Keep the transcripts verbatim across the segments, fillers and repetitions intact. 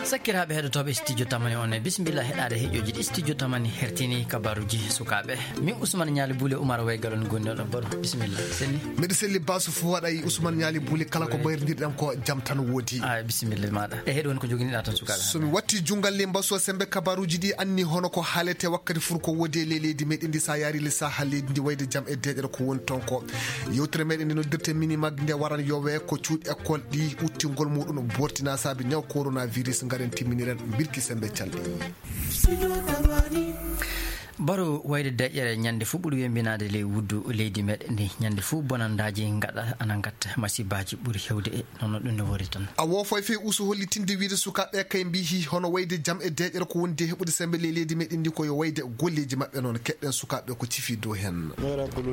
Sakkiraaɓe heɗotooɓe studio tamani on, e bisimilla heɗaade heƴooji ɗi studio tamani hertini kabaruuji sukaaɓe. Min Ousmane Ñaali Buule Umar Waygalon gonnoɗo Baro. Bisimilla. Selli. Miɗo selli basu fof waɗa e Ousmane Ñaali Buule, kala ko mbayrondirɗen ko jam tan woodi. Ah, bisimilla maɗa. E heɗo woni ko joginiɗa tan sukaaɓe. So mi watti junngal le mbasu sembe kabaruuji ɗi anni hono ko haalete wakkati fur ko woodi e ley leydi meɗen ndi sa yaari le saha leydi ndi wayde jam e deeƴere ko woni toon ko. Yewtere meɗen nde noddirte mini mag nde waran yowe ko cuuɗi école ɗi uttingol muɗum bortina saabi ñaw coronavirus ngaren timminiren birki sembe calɗi. Baro wayde deƴƴere ñande fof ɓuri wembinaade ley wuddu leydi meɗen ndi. Ñande fof bonandaaji ngaɗa ana ngatta masibaaji ɓuri hewde e nono ɗum ne wori tan. A wofoy fey usu hollitinde wiide sukaaɓe kay mbihi hono wayde jam e deƴƴere ko wondi e heɓude sembe ley leydi meɗen ndi ko yo wayde golleeji maɓɓe noon keɗɗen sukaaɓe ko cifi dow heen.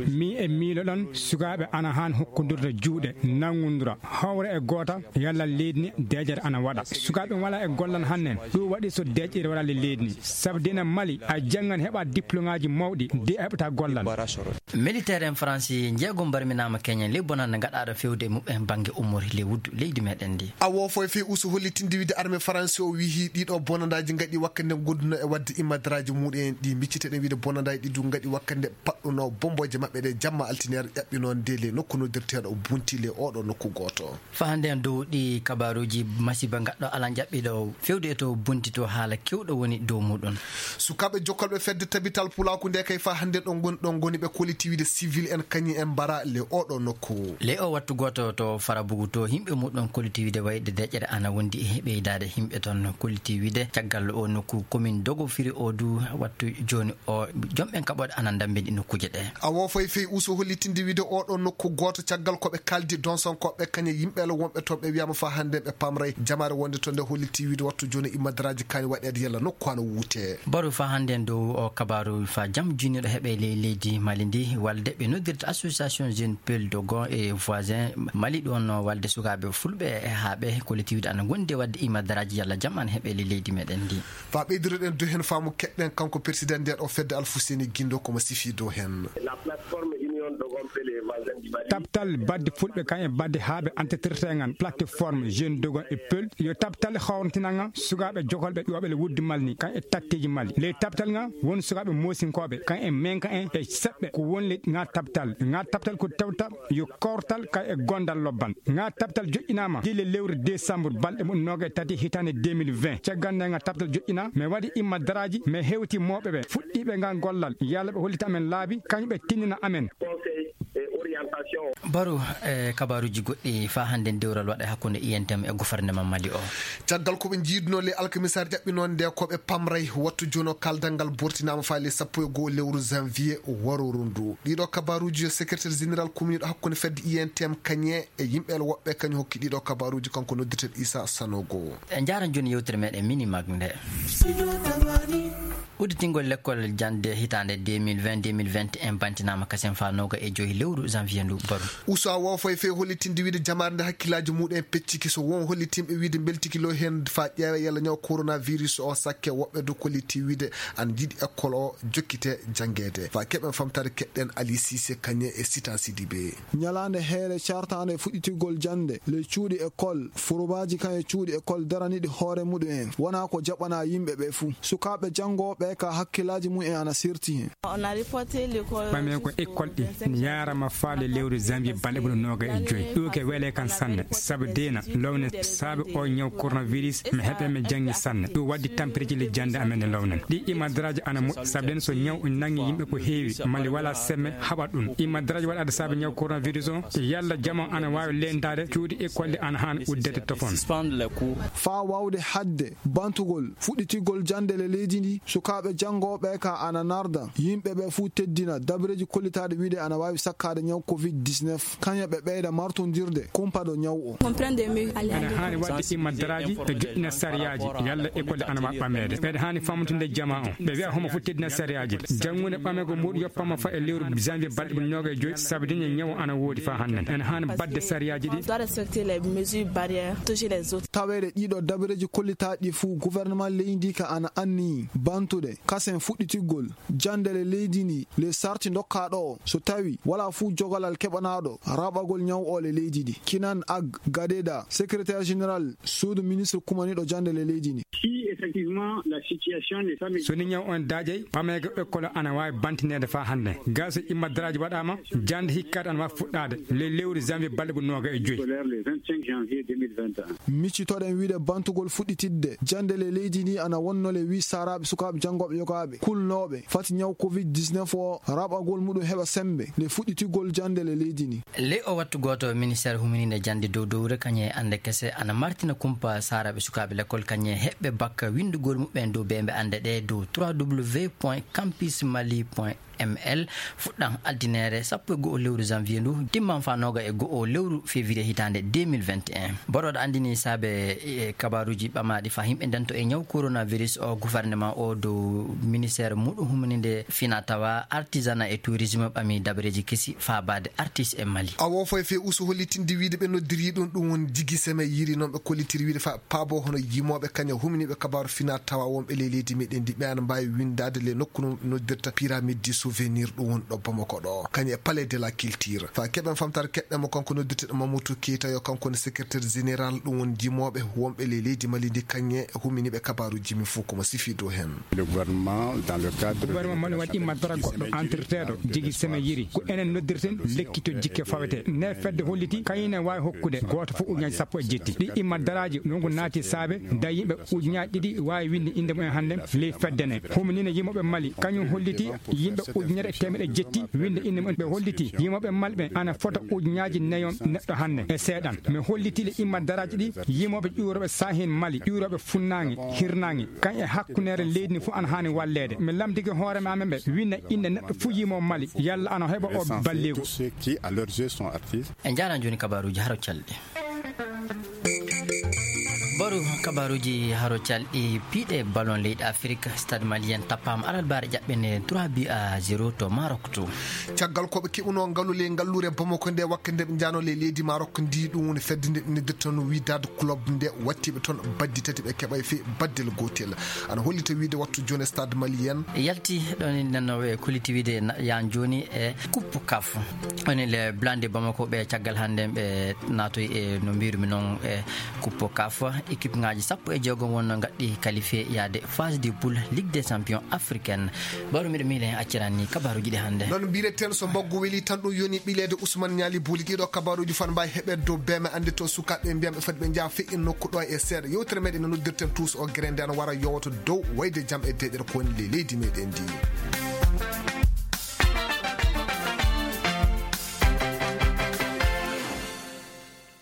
Mi e miilo ɗon sukaaɓe ana haan hokkondirde juuɗe nanngondura hawra e goota. Yalla leydi ni deƴƴere ana waɗa sukaaɓe wala e gollal hannen. Ɗum waɗi so deƴƴere waɗa le leydi ni sabu dina mali a janngan heɓa diplôme aji mawɗi de a heɓata gollal. Militaire en faransi jeego mbarminaama keñen ley bonande ngaɗaaɗo fewde e muɓɓen bannge ummori ley wuddu leydi meɗen ndi. A wofoy fey usu hollitinde wiide armée faransi o wihi ɗiɗo bonandaaji ngaɗi wakkande gonduno e wadde immadaraaji muɗum en ɗi micciteɗen wiide bonandaaji ɗi du ngaɗi wakkande paɗɗuno bombooje maɓɓe ɗe jamma altiniere ƴaɓɓino nde le nokku noddirteeɗo bunti le oɗo nokku gooto. Fahande en dow ɗi kabaruuji masiba ngaɗɗo alan ƴaɓɓiɗo fewde e to bunti to haala kewɗo woni dow muɗum. Sukaaɓe jokkalɓe fedde tabital pulaaku nde kay fa hannde ɗon ngoni ɗon ngoni ɓe koliti wiide civil en kañi en mbara le oɗo nokku. Ley o wattu gooto to farabugu to yimɓe muɗum koliti wiide wayde deƴƴere ana wondi e ɓeydaade yimɓe toon koliti wiide caggal o nokku commune dogo firi o du wattu jooni o jomɓen kaɓoɗe ana ndammbini nokkuuje ɗe. A wofoy fey usu hollitinde wiide oɗo nokku gooto caggal ko ɓe kaldi donsonkooɓe kañe yimɓe la wonɓe toon ɓe wiyama fa hannde ɓe pamray jamaare wonde to nde hollitti wiide wattu jooni immadaraaji kaani waɗeede yalla nokku hano wuute. Baru fa hannde en dow o kabaru fa jam juniɗo heɓe ley leydi mali ndi walde ɓe noddirta association jeune pel dogon e voisin mali ɗon walde sukaaɓe fulɓe e haaɓe kolliti wiide ana gondi e wadde immadaraaji yalla jam ana heɓe ley leydi meɗen ndi. Fa ɓeydiroɗen dow heen faamu keɗɗen kanko persidan ndeɗo fedde alfuseni gindo komo sifi dow heen. Tabtal badde fulɓe kan e badde haaɓe antetirtengan plateforme jeune dogon e pel yo tabtal hawrtinanga sukaaɓe jogolɓe ƴooɓele wuddi malni kan e tatteji mali ley tabtal nga won sukaaɓe moosinkooɓe kan e menka en e seɓɓe ko wonli nga tabtal nga tabtal ko tawta yo kawtal kay e gondal lobban nga tabtal joƴƴinama dile lewru décembre balɗe mum noga e tati hitande deux mille vingt caggal nde nga tabtal joƴƴina mi waɗi imma daraaji mi hewti mawɓe ɓe fuɗɗiɓe ngal gollal yalla ɓe hollita amen laabi kañum ɓe tinnina amen. Baro e kabaruji goɗɗi fa hande dewral waɗa hakkunde I N T M e gouvernement Mali o. Caggal ko ɓe jiiduno le alkamisar ƴaɓɓinonde ko ɓe pamray wattu jono kaldal ngal bortinama fa le sappo e goho lewru janvier waroru ndu ɗiɗo kabaruji yo secrétaire général communiɗo hakkunde fedde I N T M kañe e yimɓe el woɓɓe kañum hokki ɗiɗo kabaruji kanko noddirten Issa Sanogo. E jaaran joni yewtere meɗen mini mag nde. Udditingol lekkol jande hitande deux mille vingt deux mille vingt et un bantinama kasen fa noga e joyi lewru janvier ndu baru. Usa wofo e fey hollitinde wiide jamaare nde hakkillaji muɗum en pecciki so won hollitinɓe wiide beltiki lo hen fa ƴeewa yalla ñaw coronavirus o sakke woɓɓe do kolliti wiide an jiiɗi école o jokkite jangede fa keɓen famtare keɗɗen Ali Cissé kañe e Sita Sidibé. Ñalaande heere cartaande fuɗɗitigol jannde ley cuuɗi école, furubaaji kan e cuuɗi école daraniiɗi hoore muɗum en wonaa ko jaɓanaa yimɓe ɓee fuu. Sukaaɓe janngooɓe ka hakkillaaji mum en ana serti heen. Ɓamee ko école ɗi yaarama faale lewru janvier balɗe ɓuri nooga e joyi ɗuuke weele kan sanne sabu deena lowne saabe o ñaw coronavirus mi heɓe mi janngi sanne ɗum waddi tampireji le jannde amen e lownen ɗi imadraaji ana moƴƴi sabu den so ñaw nangi yimɓe ko heewi mali wala semme haɓa ɗum imadraaji waɗaade saabe ñaw coronavirus o yalla jama ana waawi leendaade cuuɗi école ɗi ana haan uddete tofon. Faa waawde haɗde bantugol fuɗɗitigol jannde le leydi ndi sukaaɓe janngooɓe ka ana narda yimɓe ɓe fuu teddina dabareeji kollitaaɗi wiide ana waawi sakkaade ñaw covid dix-neuf kañe ɓe ɓeyda martondirde kumpaɗo ñaw o. Ene haani waɗde immadaraaji e joɗɗina sariyaaji yalla école ana waawi ɓameede ɓeɗe haani famtude jama o ɓe wiya homo fof teddina sariyaaji janngude ɓamego muɗum yoppama fa e lewru janvier balɗe ɓuri nooga e joyi sabu diñe ñawo ana woodi fa hannden ene haani baɗde sariyaaji ɗi. Taweede ɗiɗo dabareeji kollitaaɗi ɗi fuu gouvernement leydi ka ana anniyi bantude kasen fuɗɗitigol jannde le leydi ndi le sarti dokkaaɗo o, so tawi wala fuu jogalal keɓanaaɗo raɓɓagol ñaw o le leydi ndi. Kinan Ag Gadeda, secrétaire général suudu ministre kumaniiɗo jannde le leydi ndi. Si effectivement la situation n'est pas So ni ñaw on daajay, ɓameego ekkol ana waawi bantineede faa hannde. Gaa so imma daraaji waɗaama, jannde hikkaade ana waawi fuɗɗaade ley lewru janvier balɗe ɓuri nooga e joyi. Scolaire le vingt-cinq janvier deux mille vingt et un. Miccitoɗen wiide bantugol fuɗɗitidde jannde le leydi ndi ana wonno le wii saaraaɓe sukaaɓe janngooɓe yogaaɓe kulnooɓe fati ñaw covid dix-neuf o raɓɓagol muɗum heɓa semmbe le fuɗɗitigol jannde le leydi ndi. Ley o wattu gooto, ministeer huminiinde jannde dow dowre kañum e annde kese ana martina kumpa saaraaɓe sukaaɓe lekkol kañum e heɓɓe bakka winndugol muɓɓen dow beembe annde ɗe dow trois w point campus mali point m l fuɗɗan altineere sappo e go'o lewru janvier ndu, timman faa nooga e go'o lewru février hitaande deux mille vingt et un. Borooɗo anndini saabe e kabaaruuji ɓamaaɗi faa yimɓe ndento e ñaw coronavirus o, gouvernement o dow ministeer muɗum humniinde fina tawa, artisanat e tourisme ɓami dabareeji kesi faabaade artiste e Mali. Awo foy fe usu hollitinde wiide ɓe noddirii ɗum, ɗum woni jigi seme yiri noon ɓe kollitiri wiide faa paabo hono yimooɓe kañum humniiɓe kabaaru fina tawa wonɓe ley leydi meɗen ndi ɓe ana mbaawi winndaade le nokku no noddirta pyramide du souvenir, ɗum woni ɗo Bamako ɗo kañum e palais de la culture. Faa keɓen famtaare keɓɗen mo kanko noddirteɗo Mamadou Keita yo kanko woni secrétaire général ɗum woni yimooɓe wonɓe ley leydi Mali ndi kañum e huminiiɓe kabaaruuji min fof ko mo sifi dow heen. Le gouvernement dans le cadre de Gouvernement Mali waɗi imma dara goɗɗo entreteeɗo jigi seme yiri. Ko enen noddirten lekki to jikke fawete. Nde fedde holliti kañum ne waawi hokkude gooto fof ujunnaaji sappo e jetti. Ɗi imma daraaji nongu naati saabe da yimɓe ujunnaaji ɗiɗi waawi winnde innde mumen hannde ley fedde nde. Humniinde yimooɓe Mali kañum holliti yimɓe ujunere e teemeɗe jetti winnde innde mumen. Ɓe holliti yimooɓe Mali ɓe ana fota ujunnaaji nayo neɗɗo hannde e seeɗan. Mi holliti le imma daraaji ɗi yimooɓe ƴuurooɓe saahin Mali, ƴuurooɓe funnaange, hirnaange, kañ e hakkundeere leydi ndi fof ana haani walleede. Mi lamndike hoore ma amen ɓe winna innde neɗɗo fof yimoo Mali, yalla ana heɓa o balleeku. Ceux qui, à leurs yeux, sont artistes. En njaaraama jooni kabaaruuji haro calɗi. Baru kabaaruuji haro calɗi piiɗe ballon leyɗe Afirka, Stade Malien tappaama alarbaare ƴaɓɓende trois buts à zéro to Maroc to. Caggal ko ɓe keɓunoo ngalu ley ngalluure Bamako nde wakkati nde ɓe njaanoo ley leydi Maroc ndi, ɗum woni fedde nde noddirtee Wydad Club nde watti ɓe toon baddi tati ɓe keɓay fii baddel gootel. Ana hollita wiide wattu jooni Stade Malien. Yalti ɗon e nanooɓe kolliti wiide na-, yaan jooni e Coupe caf. Woni le Blindé Bamako ɓe caggal hannde ɓe naatoy e no mbiirumi noon e Coupe caf. Équipe ngaaji sappo e jeegom wonno ngaɗɗi qualifié yaade phase de poule Ligue des Champions africaine. Baro miɗo miile en acciran ni kabaaruuji ɗi hannde. Noon mbiyeten so mbaggu weli tan ɗum yoni ɓileede Ousmane Niali Bouli. Ɗiɗo kabaaruuji fan mbawi heɓeede dow beeme anndi to sukaaɓe mbiyan ɓe foti ɓe njaha feƴƴin nokku ɗo e seeɗa. Yewtere meɗen no noddirten tous o gere nde no wara yowata dow wayde jam e deeƴere ko woni le leydi meɗen ndi.